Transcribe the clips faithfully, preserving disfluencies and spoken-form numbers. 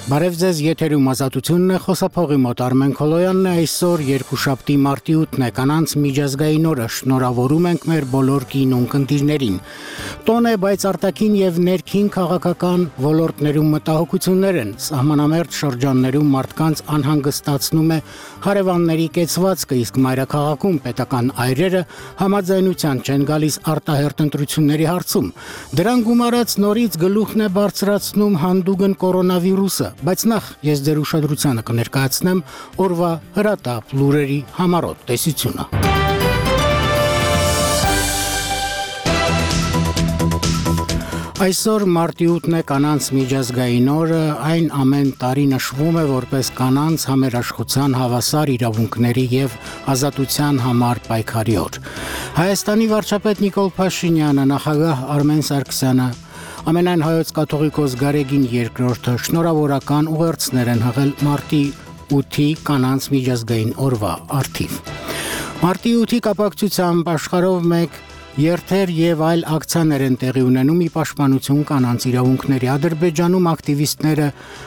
Բարև ձեզ, եթերում ազատությունն է, խոսափողի մոտ Արմեն Քոլոյանն է, այսօր երկուշաբթի մարտի ութն է, կանանց միջազգային օրը, շնորհավորում ենք մեր բոլոր կին ունկնդիրներին։ Տոն է, բայց արտաքին եւ ներքին քաղաքական ոլորտներում մտահոգություններ են, սահմանամերձ շրջաններում մարդկանց անհանգստացնում է հարևանների կեցվածքը, իսկ մայրաքաղաքում պետական այրերը համաձայնության չեն գալիս արտահերթ ընտրությունների հարցում։ Դրան գումարած նորից գլուխն է բարձրացնում հանդուգն կորոնավիրուսը, բայց նախ ես ձեր ուշադրությանը կներկայացնեմ օրվա հրատապ լուրերի համառոտ տեսությունը։ Այսօր մարտի ութն է, կանանց միջազգային օրը, այն ամեն տարի նշվում է որպես կանանց համերաշխության հավասար իրավունքների եւ ազատության համար պայքարի օր։ Հայաստանի վարչապետ Նիկոլ Փաշինյանը, նախագահ Արմեն Սարգսյանը, Ամենայն հայոց կաթողիկոս Գարեգին երկրորդը շնորհավորական ուղերձներ են հղել մարտի ութի կանանց միջազգային օրվա առթիվ։ Մարտի ութի կապակցությամբ աշխարհով մեկ երթեր եւ այլ ակցիաներ են տեղի ունենում ի պաշտպանություն կանանց իրավունքների։ Ադրբեջանում ակտիվիստները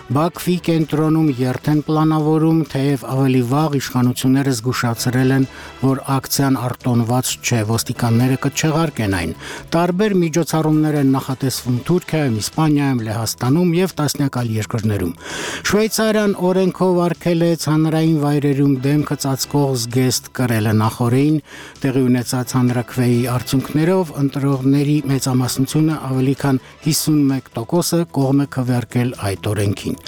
Բաքվի կենտրոնում երթ են պլանավորում, թեև ավելի վաղ իշխանությունները զգուշացրել են, որ ակցիան արտոնված չէ, ոստիկանները կչեղարկեն այն։ Տարբեր միջոցառումներ են նախատեսվում Թուրքիայում, Իսպանիայում, Լեհաստանում եւ տասնյակ այլ երկրներում։ Շվեյցարիան օրենքով արգել է հանրային վայրերում դեմքը ծածկող զգեստ կրելը նախորդին տեղի ունեցած հանրաքվեի արդյունքներով ընտրողների մեծամասնությունը ավելի քան հիսունմեկ տոկոսը կողմ է քվեարկել այդ օրենքին։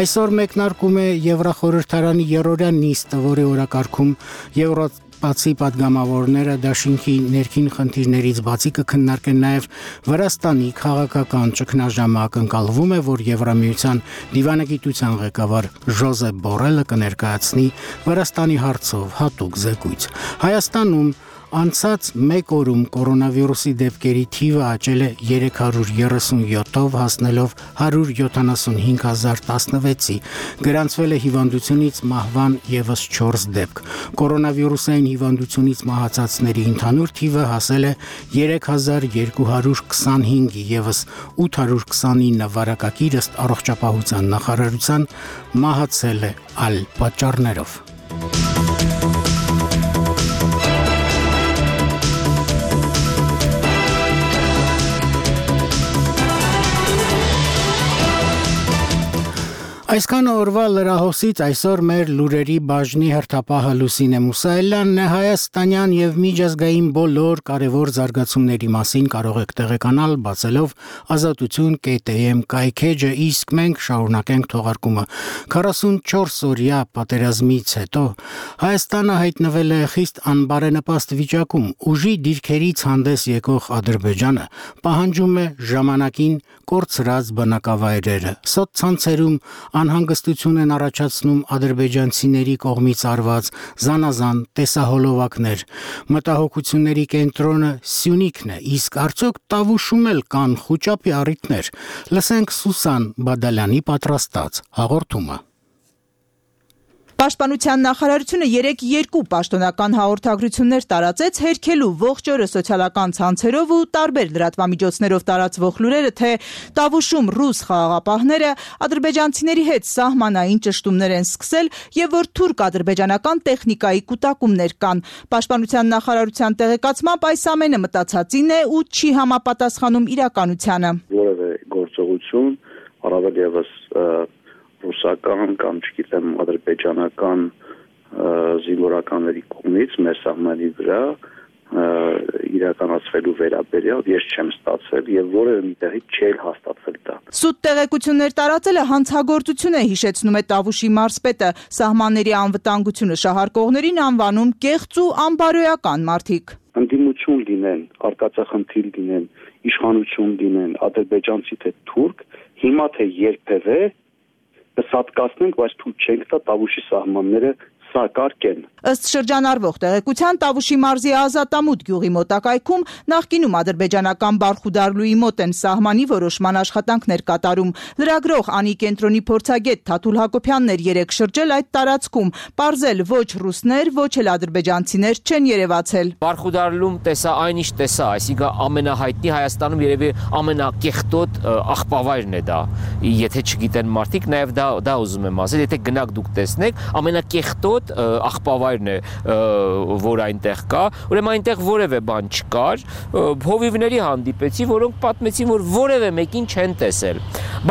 Այսօր մեկնարկում է Եվրախորհրդարանի երրորդյա նիստը, որի օրակարգում Եվրոպացի падգամավորները դաշինքի ներքին խնդիրներից բացի կքննարկեն նաև Վրաստանի քաղաքական ճգնաժամը։ Ակնկալվում է, որ Եվրամիության դիվանագիտության ղեկավար Ժոզեփ Բորելը կներկայացնի Վրաստանի հարցով հատուկ զեկույց։ Հայաստանում անցած մեկ օրում կորոնավիրուսի դեպքերի թիվը աճել է երեք հարյուր երեսունյոթով, հասնելով հարյուր յոթանասունհինգ հազար տասնվեցի, գրանցվել է հիվանդությունից մահվան ևս չորս դեպք։ Կորոնավիրուսային հիվանդությունից մահացածների ընդհանուր թիվը հասել է երեք հազար երկու հարյուր քսանհինգի, ևս ութ հարյուր քսանինը վարակագիր ըստ առողջապահության նախարարության մահացել է այլ պատճառներով։ Այսքան օրվա լրահոսից այսօր մեր լուրերի բաժնի հերթապահը Լուսինե Մուսայելյանն է։ Հայաստանյան եւ միջազգային բոլոր կարևոր զարգացումների մասին կարող եք տեղեկանալ բացելով ազատություն կետ էմ կայքեջը, իսկ մենք շարունակենք թողարկումը։ քառասունչորս օրյա պատերազմից հետո Հայաստանը հայտնվել է խիստ անբարենպաստ վիճակում։ Ուժի դիրքերից հանդես եկող Ադրբեջանը պահանջում է ժամանակին կորցրած բնակավայրերը։ Սոցցանցերում անհանգստություն են առաջացնում ադրբեջանցիների կողմից արված զանազան տեսահոլովակներ։ Մտահոգությունների կենտրոնը Սյունիքն է, իսկ արդյոք Տավուշում էլ կան խուճապի առիթներ։ Լսենք Սուսան Բադալյանի պատրաստած հաղորդումը։ Պաշտպանության նախարարությունը երեկ երկու պաշտոնական հաղորդագրություններ տարածեց, հերքելու ողջ օրը սոցիալական ցանցերով ու տարբեր լրատվամիջոցներով տարածվող լուրերը, թե Տավուշում ռուս խաղաղապահները ադրբեջանցիների հետ սահմանային ճշտումներ են սկսել եւ որ թուրք-ադրբեջանական տեխնիկայի կուտակումներ կան։ Պաշտպանության նախարարության տեղեկացմամբ այս ամենը մտածածին է ու չի համապատասխանում իրականությանը։ Որևէ գործողություն, առավել ևս ռուսական կամ չգիտեմ ադրբեջանական զինվորականների կողմից մեր սահմանի վրա իրականացվելու վերաբերյալ ես չեմ ստացել եւ որևէ մի տեղի չէր հաստատվել դա։ Սուտ տեղեկություններ տարածելը հանցագործություն է, հիշեցնում է Տավուշի մարզպետը։ Սահմանների անվտանգությունը շահարկողներին անվանում կեղծ ու անբարոյական մարդիկ։ Ընդդիմություն լինեն, արկածախնդիր լինեն, իշխանություն լինեն, ադրբեջանցի թե թուրք, հիմա թե երբևէ կսատկացնենք, բայց թույլ չենք տա Տավուշի սահմանները սա կարգ են։ Ըստ շրջանառվող տեղեկության Տավուշի մարզի Ազատամուտ գյուղի մոտակայքում նախկինում ադրբեջանական Բարխուդարլուի մոտ են սահմանի որոշման աշխատանքներ կատարում։ Լրագրող Անի կենտրոնի փորձագետ Թաթուլ Հակոբյանն էր երեկ շրջել այդ տարածքում, պարզել ոչ ռուսներ, ոչ էլ ադրբեջանցիներ չեն երևացել։ Բարխուդարլում տեսա այնիշ տեսա, այսինքն ամենահայտնի Հայաստանում երևի ամենակեղտոտ աղբավայրն է դա։ Եթե չգիտեն մարդիկ, նաև դա դա ուզում եմ ասել, եթե գնաք դուք տեսնեք, ամենակեղտոտ աղբավայրն է, որ այնտեղ կա, ուրեմն այնտեղ որևէ բան չկար, հովիվների հանդիպեցի, որոնք պատմեցին, որ որևէ մեկին չեն տեսել,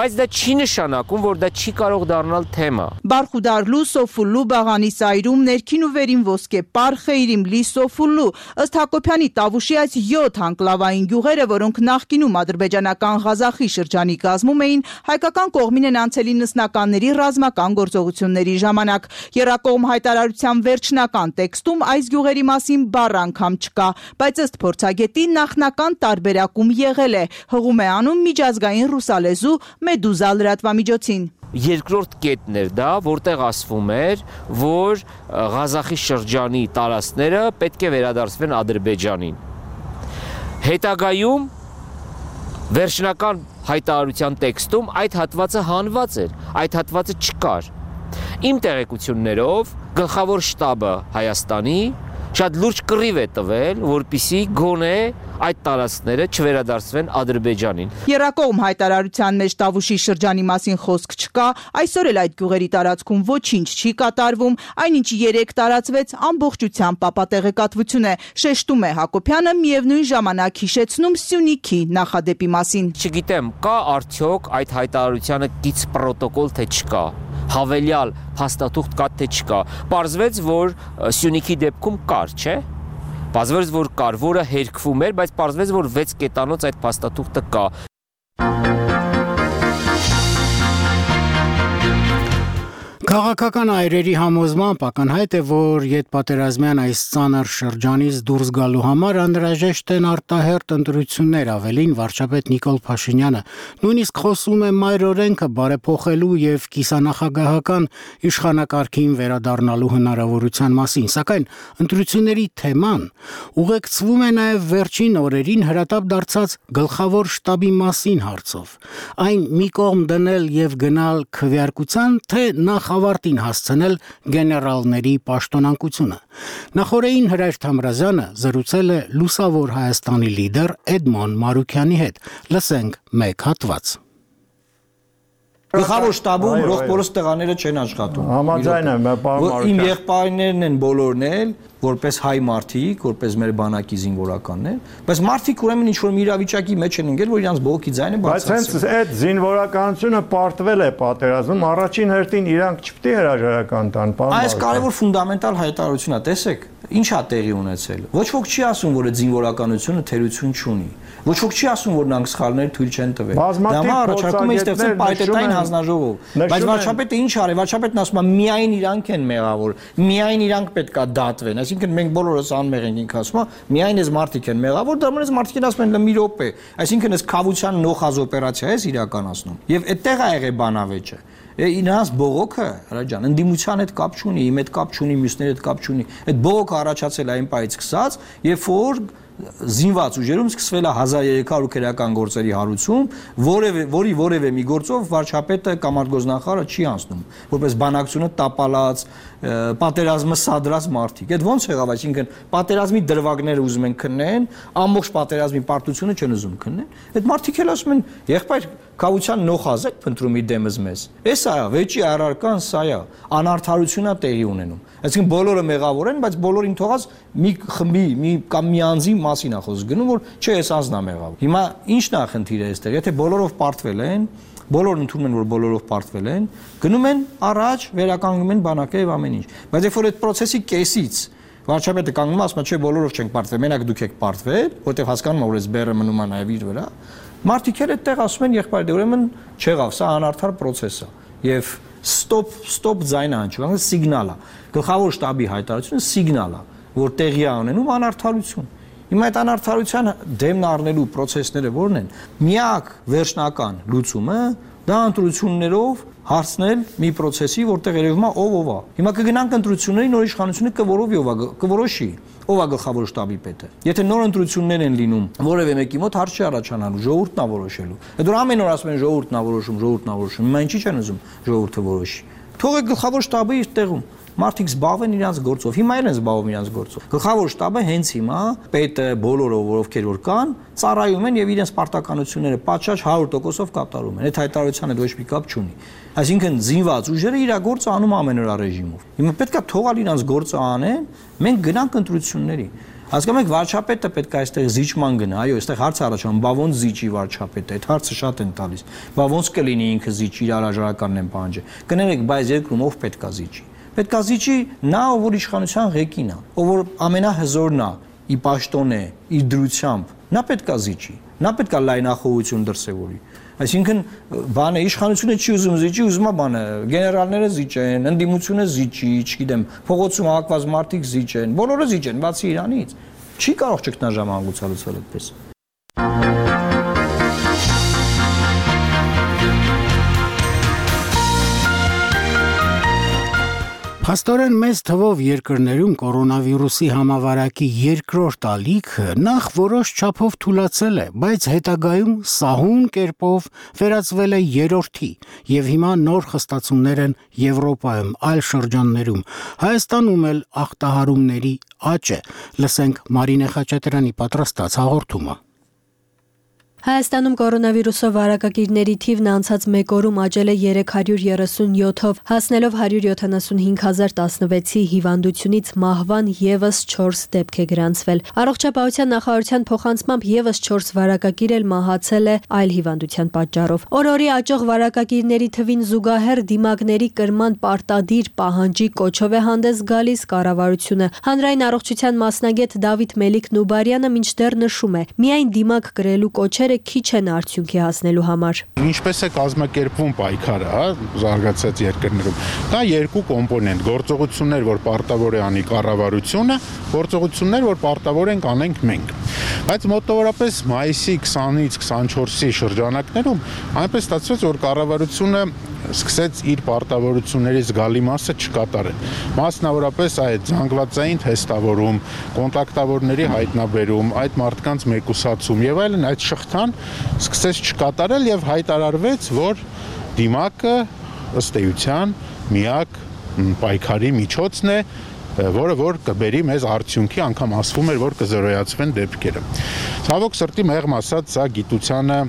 բայց դա չի նշանակում, որ դա չի կարող դառնալ թեմա։ Բարխուդարլու, Սոֆուլլու, Բաղանիսայրում, ներքին ու վերին ոսկե Պարխեյրիմ, Լի Սոֆուլլու, ըստ Հակոբյանի Տավուշի այս յոթ անկլավային գյուղերը, որոնք նախկինում ադրբեջանական Ղազախի շրջանի կազմում էին, հայկական կողմին են անցել իննսնականների ռազմական գործողությունների ժամանակ։ Եռակողմ հայտարարության վերջնական տեքստում այս գյուղերի մասին բառ անգամ չկա, բայց ըստ փորձագետի նախնական տարբերակում եղել է, հղում է անում միջազգային ռուսալեզու Մեդուզա լրատվամիջոցին։ Երկրորդ կետն էր դա, որտեղ ասվում էր, որ Ղազախի շրջանի տարածքները պետք է վերադարձվեն Ադրբեջանին։ Հետագայում վերջնական հայտարարության տեքստում այդ հատվածը հանված էր, այդ հատվածը չկար։ Իմ տեղեկություններով գլխավոր շտաբը Հայաստանի շատ լուրջ կռիվ է տվել, որպեսզի գոնե այդ տարածքները չվերադարձվեն Ադրբեջանին։ Եռակողմ հայտարարության մեջ Տավուշի շրջանի մասին խոսք չկա, այսօր էլ այդ գյուղերի տարածքում ոչինչ չի կատարվում, այնինչ երեք տարածվեց ամբողջությամբ ապատեղեկատվություն է, շեշտում է Հակոբյանը, միևնույն ժամանակ հիշեցնում Սյունիքի նախադեպի մասին։ Չգիտեմ, կա արդյոք այդ հայտարարությանը կից պրոտոկոլ թե չկա, հավելյալ փաստաթուղթ կա թե չկա։ Պարզվեց, որ Սյունիքի դեպքում կար, չէ՞։ Պարզվեց, որ կար, որը հերքվում էր, բայց պարզվեց, որ վեց կետանոց այդ փաստաթուղթը կա։ Քաղաքական այրերի համոզմամբ ակնհայտ է, որ յետպատերազմյան այս ծանր շրջանից դուրս գալու համար անհրաժեշտ են արտահերթ ընտրություններ, ավելին վարչապետ Նիկոլ Փաշինյանը նույնիսկ խոսում է մայր օրենքը բարեփոխելու եւ կիսանախագահական իշխանակարգին վերադառնալու հնարավորության մասին, սակայն ընտրությունների թեման ուղեկցվում է նաեւ վերջին օրերին հրատապ դարձած գլխավոր շտաբի մասին հարցով։ Այն մի կողմ դնել եւ գնալ քվեարկության, թե նախ ավարտին հասցնել գեներալների պաշտոնակությունը։ Նախորդին Հրայր Թամրազյանը զրուցել է Լուսավոր Հայաստանի լիդեր Էդմոն Մարուքյանի հետ։ Լսենք մեկ հատված։ Գլխավոր շտաբում ռոխբորոս տղաները չեն աշխատում։ Համաձայն եմ, պարոն Մարուքյան։ Իմ եղբայրներն են բոլորն էլ, որպես հայ մարդիկ, որպես մեր բանակի զինվորականներ, բայց մարդիկ ուրեմն ինչ-որ մի իրավիճակի մեջ են ընկել, որ իրանց բողոքի ձայնը բացած է։ Բայց հենց այդ զինվորականությունը պարտվել է պատերազմում, առաջին հերթին իրանք չպետք է հրաժարական տան, պարոն Մարուքյան։ Այս կարևոր ֆունդամենտալ հայտարարություն է, տեսեք, ինչ է տեղի ունեցել։ Ոչ ոք չի ասում, որ այդ զինվորականությունը թերություն չունի։ Ոչ ոք չի ասում, որ նրանք սխալներ թույլ չեն տվել։ Դա առաջարկում է ստեղծել պայթետային հանձնաժողով։ Բայց վարչապետը ինչ արի, վարչապետն ասում է միայն իրանք են մեղավոր, միայն իրանք պետքա դատվեն։ Այսինքն մենք բոլորս անմեղ ենք, ինքը ասում է, միայն այս մարդիկ են մեղավոր, դա մնաց մարդիկին ասում են մի րոպե։ Այսինքն այս քավության նոխազ օպերացիա է իրականացնում։ Եվ այդտեղ է եղել բանավեճը։ Իրանց բողոքը, հրա ջան, ընդդիմության հետ կապ չունի, իմ հետ կապ չունի, մյուսների հետ կապ չունի։ Այդ բողոքը առաջացել է այն պայից սկսած, երբ որ զինված ուժերում սկսվել է հազար երեք հարյուր քրեական գործերի հարուցում, որևէ որի որևէ մի գործով վարչապետը կամ արտգործնախարարը չի անցնում, որպես բանակցությունը տապալած, պատերազմը սադրած մարդիկ։ Այդ ո՞նց եղավ, այսինքն պատերազմի դրվագները ուզում են քննեն, ամբողջ պատերազմի պարտությունը չեն ուզում քննեն։ Այդ մարդիկ էլ ասում են, եղբայր կավության նոխազ եք փնտրում իդեմս մեզ։ Էս է, վեճի առարկան սա է, անարդարությունա տեղի ունենում։ Այսինքն բոլորը մեղավոր են, բայց բոլորին թողած մի խմբի, մի կամ մի անձի մասին է խոսքը գնում, որ չէ, էս անձն է մեղավոր։ Հիմա ի՞նչն է խնդիրը այստեղ, եթե բոլորով պարտվել են, բոլորն ընդունում են, որ բոլորով պարտվել են, գնում են առաջ, վերականգնում են բանակը եւ ամեն ինչ։ Բայց երբ որ այդ process-ի կեսից վարչապետը կանգնում ասում է, չէ, բոլորով չենք պարտվել, մենակ դուք եք պարտվել, որտեղ հասկանում ա, որ այս բեռը մնում է նաեւ իր վրա, մարդիկ էլ այդտեղ ասում են, եղբայր, դե ուրեմն չեղավ, սա անարդար process է։ Եվ stop stop ձայնը հնչում, սիգնալ է։ Գլխավոր շտաբի հայտարարությունը սիգնալ է, որ տեղի է ունենում անարդարություն։ Հիմա այդ անարդարության դեմն առնելու process-ները որն են։ Միակ վերջնական լուծումը դա ընտրություններով հարցնել մի process-ի, որտեղ երևում է ով ով է։ Հիմա կգնանք ընտրությունների, նոր իշխանությունը կորովի ով է, կորոշի, ով է գլխավոր շտաբի պետը։ Եթե նոր ընտրություններ են լինում, որևէ մեկի մոտ հարց չի առաջանալու, ժողովուրդն է որոշելու։ Այդ որ ամեն օր ասում են ժողովուրդն է որոշում, ժողովուրդն է որոշում։ Հիմա ինչի՞ չեն ուզում ժողովուրդը որոշի։ Թողեք գլխավոր շտաբը իր տեղում։ Մարդիկ զբաղվեն իրենց գործով։ Հիմա իրեն զբաղվում իրենց գործով։ Գլխավոր շտաբը հենց հիմա պետը բոլորը, ովքեր որ կան, ծառայում են եւ իրենց պարտականությունները պատշաճ հարյուր տոկոսով կատարում են։ Այդ հայտարարության հետ ոչ մի կապ չունի։ Այսինքն զինված ուժերը իր գործը անում ամեն օր ռեժիմով։ Հիմա պետքա թողալ իրենց գործը անեն, մենք գնանք ընտրությունների։ Հասկանում եք, վարչապետը պետք է այստեղ զիջման գնա, այո, այստեղ հարց առաջանում, բա ոնց զիջի վարչապետը, այդ հարցը շատ են տալիս։ Բա ոնց կլինի ինքը զիջի, իր հրաժարականն են պահանջի։ Կներեք, բայց երկրում ով պետք է զիջի։ Պետք է զիջի նա, ով որ իշխանության ղեկին է, ով որ ամենահզորն է, ի պաշտոն է, իր դրությամբ, նա պետք է զիջի, նա պետք է լայնախոհություն դրսևորի։ Այսինքն բանը իշխանությունը չի ուզում զիջի, ուզում է բանը գեներալները զիջեն, ընդդիմությունը զիջի, չգիտեմ, փողոցում հակված մարդիկ զիջեն, բոլորը զիջեն, բացի իրանից։ Չի կարող ճգնաժամ հանգուցալուծել այդպես։ Փաստորեն մեծ թվով երկրներում կորոնավիրուսի համավարակի երկրորդ ալիքը նախ որոշ չափով թուլացել է, բայց հետագայում սահուն կերպով վերածվել է երրորդի եւ հիմա նոր խստացումներ են Եվրոպայում, այլ շրջաններում, Հայաստանում էլ ախտահարումների աճ է։ Լսենք Մարինե Խաչատրյանի պատրաստած հաղորդումը։ Հայաստանում կորոնավիրուսով վարակագիրների թիվն անցած մեկ օրում աճել է երեք հարյուր երեսունյոթով, հասնելով հարյուր յոթանասունհինգ հազար տասնվեցի հիվանդությունից մահվան եւս չորս դեպք է գրանցվել։ Առողջապահության նախարարության փոխանցմամբ եւս չորս վարակագիր էլ մահացել է այլ հիվանդության պատճառով։ Օր-օրի աճող վարակագիրների թվին զուգահեռ դիմակների կրման պարտադիր պահանջի կոչով է հանդես գալիս կառավարությունը։ Հանրային առողջության մասնագետ Դավիթ Մելիք-Նուբարյանը մինչդեռ նշում է, միայն դիմակ կրելու կոչեր քիչ են արդյունքի հասնելու համար։ Ինչպես է կազմակերպվում պայքարը, հա, զարգացած երկրներում։ Կա երկու կոմպոնենտ՝ գործողություններ, որ պարտավոր է անի կառավարությունը, գործողություններ, որ պարտավոր ենք անենք մենք։ Բայց մոտավորապես մայիսի քսանից քսանչորսի շրջանակներում այնպես ստացվեց, որ կառավարությունը սկսեց իր պարտավորությունների զգալի մասը չկատարել։ Մասնավորապես այդ զանգվածային թեստավորում, կոնտակտավորների հայտնաբերում, այդ մարդկանց մեկուսացում եւ այլն, այդ շղթան սկսեց չկատարել եւ հայտարարվեց, որ դիմակը ըստ էության միակ պայքարի միջոցն է, որը որ կբերի մեզ արդյունքի, անգամ ասվում էր, որ կզրոյացվեն դեպքերը։ Ցավոք սրտի մեղմ ասած, սա գիտությանը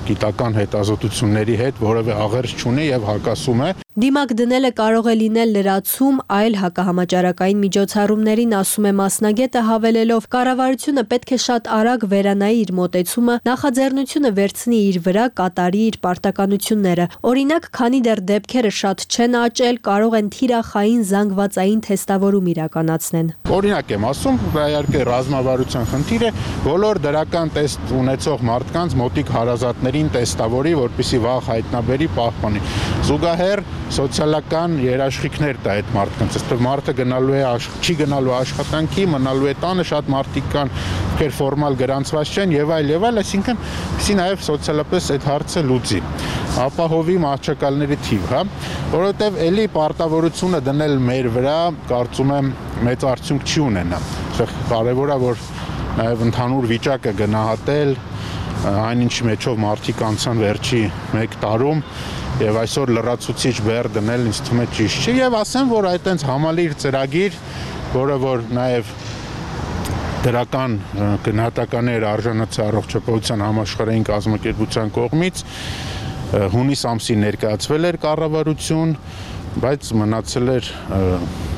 գիտական հետազոտությունների հետ որևէ աղերս չունի եւ հակասում է։ Դիմակ դնելը կարող է լինել լրացում այլ հակահամաճարակային միջոցառումներին, ասում է մասնագետը, հավելելով, կառավարությունը պետք է շատ արագ վերանայի իր մոտեցումը, նախաձեռնությունը վերցնի իր վրա, կատարի իր պարտականությունները։ Օրինակ, քանի դեռ դեպքերը շատ չեն աճել, կարող են թիրախային զանգվածային թեստավորում իրականացնեն։ Օրինակ եմ ասում, իհարկե ռազմավարության խնդիր է, բոլոր դրական տեստ ունեցող մարդկանց մոտիկ հարազատներին տեստավորի, որպեսզի վաղ հայտնաբերի, պահպանի։ Զուգահեռ սոցիալական երաշխիքներ տա այդ մարդկանց, այսպես մարդը գնալու է չի գնալու աշխատանքի, մնալու է տանը, շատ մարդիկ կան, ովքեր ֆորմալ գրանցված չեն եւ այլ եւ այլ, այսինքն պեսի նաեւ սոցիալապես այդ հարցը լուծի։ Ապահովի մահճակալների թիվ, հա, որովհետեւ էլի պարտավորությունը դնել մեր վրա, կարծում եմ, մեծ արդյունք չի ունենա։ Կարևոր է, որ նաեւ ընդհանուր վիճակը գնահատել, այնինչ մեջով մարդիկ անցան վերջի մեկ տարում եւ այսօր լրացուցիչ բեռ դնել ինձ թվում է ճիշտ չի եւ ասեմ, որ այդ այնց համալիր ծրագիր, որը որ նաեւ դրական գնահատականներ արժանացել առողջապահության համաշխարհային կազմակերպության կողմից հունիս ամսին ներկայացվել էր կառավարություն, բայց մնացել էր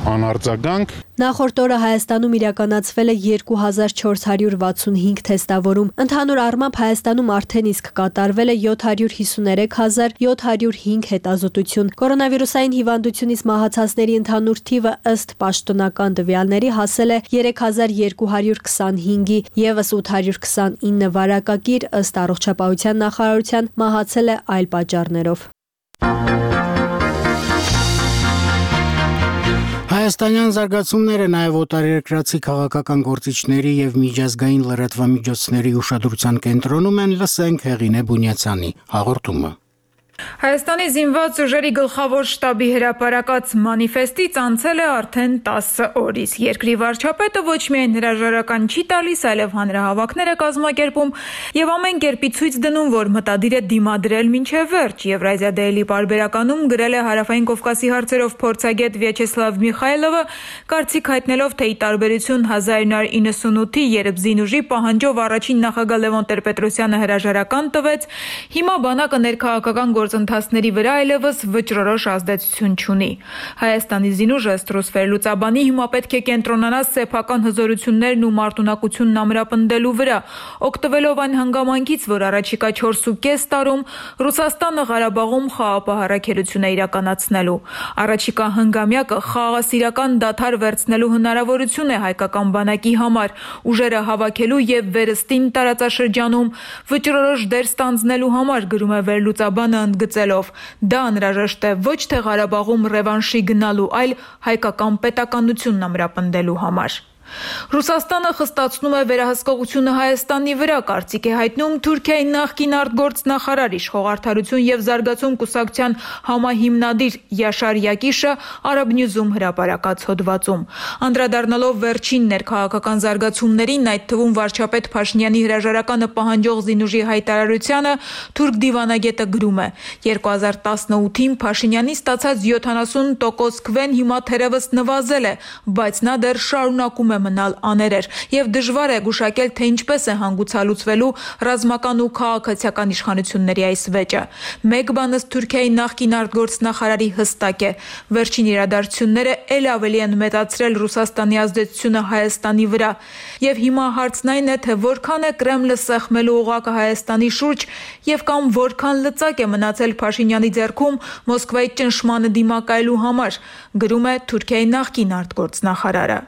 անարձագանք։ Նախորդ օրը Հայաստանում իրականացվել է երկու հազար չորս հարյուր վաթսունհինգ թեստավորում։ Ընդհանուր առմամբ Հայաստանում արդեն իսկ կատարվել է յոթ հարյուր հիսուներեք հազար յոթ հարյուր հինգ հետազոտություն։ Կորոնավիրուսային հիվանդությունից մահացածների ընդհանուր թիվը ըստ պաշտոնական տվյալների հասել է երեք հազար երկու հարյուր քսանհինգի, եւս ութ հարյուր քսանինը վարակագիր ըստ առողջապահության նախարարության մահացել է այլ պատճառներով։ Հայաստանյան զարգացումները նաև օտարերկրացի քաղաքական գործիչների եւ միջազգային լրատվամիջոցների ուշադրության կենտրոնում են, լսենք Հեղինե Բունյացյանի հաղորդումը։ Հայաստանի զինված ուժերի գլխավոր շտաբի հրապարակած մանիֆեստից անցել է արդեն տասը օր, իսկ երկրի վարչապետը ոչ միայն հրաժարական չի տալիս, այլև հանրահավաքներ է կազմակերպում եւ ամեն կերպի ցույց դնում, որ մտադիր է դիմադրել մինչեւ վերջ։ Եվրազիա Daily պարբերականում գրել է Հարավային Կովկասի հարցերով փորձագետ Վյաչեսլավ Միխայլովը, կարծիք հայտնելով, թե ի տարբերություն հազար նույնսուն իննսունութի, երբ զինուժի պահանջով առաջին նախագահ Լևոն Տեր-Պետրոսյանը հրաժարական տվեց, հիմա բանակը ներքաղաքական գործընթացների վրա այլևս վճռորոշ ազդեցություն չունի։ Հայաստանի զինուժը ըստ Ռուսվեր-Լուծաբանի հիմա պետք է կենտրոնանա սեփական հզորություններն ու մարտունակությունն ամրապնդելու վրա, օգտվելով այն հանգամանքից, որ առաջիկա չորսուկես տարում Ռուսաստանը Ղարաբաղում խաղաղ առաքելություն է իրականացնելու։ Առաջիկա հնգամյակը խաղաղասիրական դադար վերցնելու հնարավորություն է հայկական բանակի համար, ուժերը հավաքելու եւ վերստին տարածաշրջանում վճռորոշ դեր ստանձնելու համար, գրում է Վերլուծաբանը ընդգծելով, դա անհրաժեշտ է ոչ թե Ղարաբաղում ռևանշի գնալու, այլ հայկական պետականությունն ամրապնդելու համար։ Ռուսաստանը խստացնում է վերահսկողությունը Հայաստանի վրա, կարծիք է հայտնում Թուրքիայի նախկին արտգործնախարար, իշխող արդարություն եւ զարգացում կուսակցության համահիմնադիր Յաշար Յակիշը Arab News-ում հրապարակած հոդվածում։ Անդրադառնալով վերջին ներքաղաքական զարգացումներին, այդ թվում վարչապետ Փաշինյանի հրաժարականը պահանջող զինուժի հայտարարությանը, թուրք դիվանագետը գրում է. երկու հազար տասնութին Փաշինյանի ստացած յոթանասուն տոկոս քվեն հիմա թերևս նվազել է, բայց նա դեռ շարունակում է մնալ աներեր եւ դժվար է գուշակել, թե ինչպես է հանգուցալուծվելու ռազմական ու քաղաքացիական իշխանությունների այս վեճը։ Մեկ բան ըստ Թուրքիայի նախկին արտգործնախարարի հստակ է. վերջին իրադարձությունները ել ավելի են մեծացրել Ռուսաստանի ազդեցությունը Հայաստանի վրա եւ հիմա հարցն այն է, թե որքան է Կրեմլը սեղմելու օղակը Հայաստանի շուրջ եւ կամ որքան լծակ է մնացել Փաշինյանի ձեռքում Մոսկվայի ճնշմանը դիմակայելու համար, գրում է Թուրքիայի նախկին արտգործնախարարը։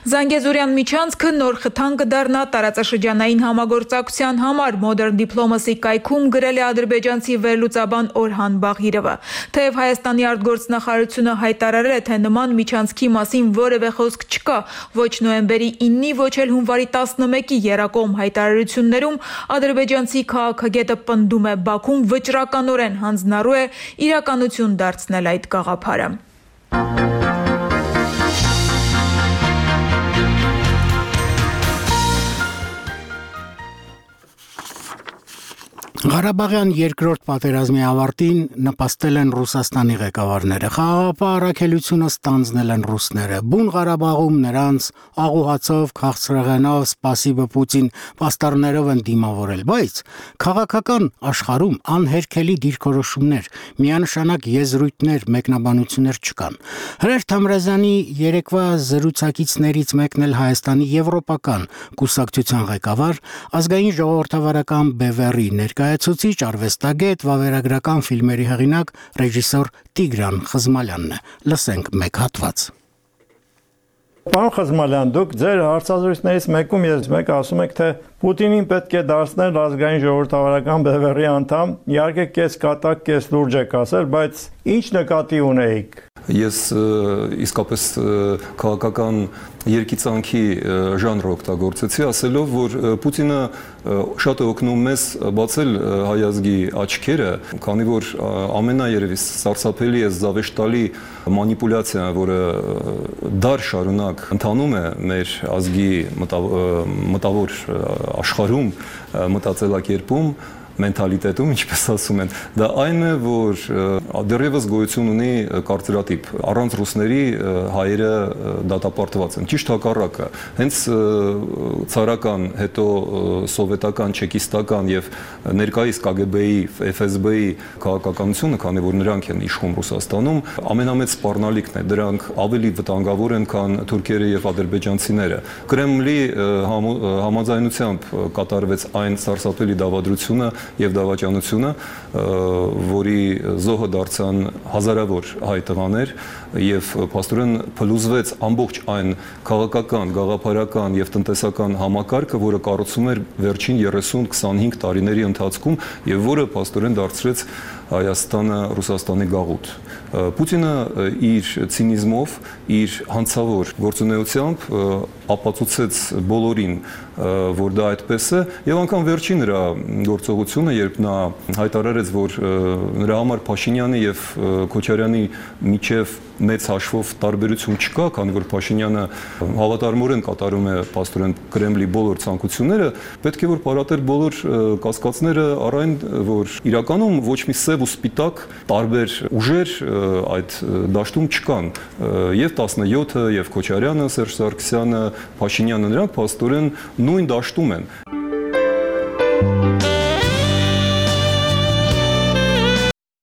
Զանգեզուրյան միջանցքը նոր խթան կդառնա տարածաշրջանային համագործակցության համար, Modern Diplomacy կայքում գրել է ադրբեջանցի վերլուծաբան Օրհան Բաղիրովը։ Թեև Հայաստանի արտգործնախարարությունը հայտարարել է, թե նման միջանցքի մասին որևէ խոսք չկա, ոչ նոյեմբերի իննի, ոչ էլ հունվարի տասնմեկի եռակողմ հայտարարություններում, ադրբեջանցի քաղաքագետը պնդում է, Բաքուն վճռականորեն հանձնառու է իրականություն դարձնել այդ գաղափարը։ Ղարաբաղյան երկրորդ պատերազմի ավարտին նպաստել են Ռուսաստանի ղեկավարները, խաղաղապահ առաքելությունը ստանձնել են ռուսները, բուն Ղարաբաղում նրանց աղուհացով, քաղցրեղենով, սպասիբը Պուտին պաստառներով են դիմավորել, բայց քաղաքական աշխարհում անհերքելի դիրքորոշումներ, միանշանակ եզրույթներ, մեկնաբանություններ չկան։ Հրեր Թամրազյանի երեկվա զրուցակիցներից մեկն էլ Հայաստանի եվրոպական կուսակցության ղեկավար, ազգային ժողովրդավարական բևեռի ներկայացուցիչ, արվեստագետ, վավերագրական ֆիլմերի հեղինակ, ռեժիսոր Տիգրան Խզմալյանն է։ Լսենք մեկ հատված։ Պարոն Խզմալյան, դուք ձեր հարցազրույցներից մեկում ես մեկ ասում եք, թե Պուտինին պետք է դարձնել ազգային ժողովրդավարական բևեռի անդամ, իհարկե կես կատակ, կես լուրջ եք ասել, բայց ինչ նկատի ունեիք։ Ես իսկապես քաղաքական երկիծանքի ժանր օգտագործեցի, ասելով, որ Պուտինը շատ է օգնում մեզ բացել հայ ազգի աչքերը, քանի որ ամենաերևի սարսափելի է զավեշտալի մանիպուլյացիան, որը դար շարունակ ընթանում է մեր ազգի մտավոր աշխարհում, մտածելակերպում, մենթալիտետում, ինչպես ասում են, դա այն է, որ դեռևս գոյություն ունի կարծրատիպ, առանց ռուսների հայերը դատապարտված են, ճիշտ հակառակը, հենց ցարական, հետո սովետական, չեկիստական եւ ներկայիս Կ Գ Բ-ի, Ֆ Ս B-ի քաղաքականությունը, քանի որ նրանք են իշխում Ռուսաստանում, ամենամեծ սպառնալիքն է, դրանք ավելի վտանգավոր են, քան թուրքերը եւ ադրբեջանցիները։ Կրեմլի համաձայնությամբ կատարվեց այն սարսափելի դավադրությունը եւ դավաճանությունը, որի զոհը դարձան հազարավոր հայ տղաներ եւ փաստորեն փլուզվեց ամբողջ այն քաղաքական, գաղափարական եւ տնտեսական համակարգը, որը կառուցվում էր վերջին երեսուն քսանհինգ տարիների ընթացքում եւ որը փաստորեն դարձրեց Հայաստանը Ռուսաստանի գաղութ։ Պուտինը իր ցինիզմով, իր հանցավոր գործունեությամբ ապացուցեց բոլորին, որ դա այդպես է, եւ անգամ վերջին նրա գործողությունը, երբ նա հայտարարեց, որ նրա համար Փաշինյանի եւ Քոչարյանի միջև մեծ հաշվով տարբերություն չկա, քանի որ Փաշինյանը հավատարմորեն կատարում է պաստորեն Կրեմլի բոլոր ցանկությունները, պետք է որ պարատել բոլոր կասկածները առ այն, որ իրականում ոչ մի սև ու սպիտակ տարբեր ուժեր այդ դաշտում չկան, եւ տասնյոթը, եւ Քոչարյանը, Սերժ Սարգսյանը, Փաշինյանը, նրանք պաստորեն նույն դաշտում են։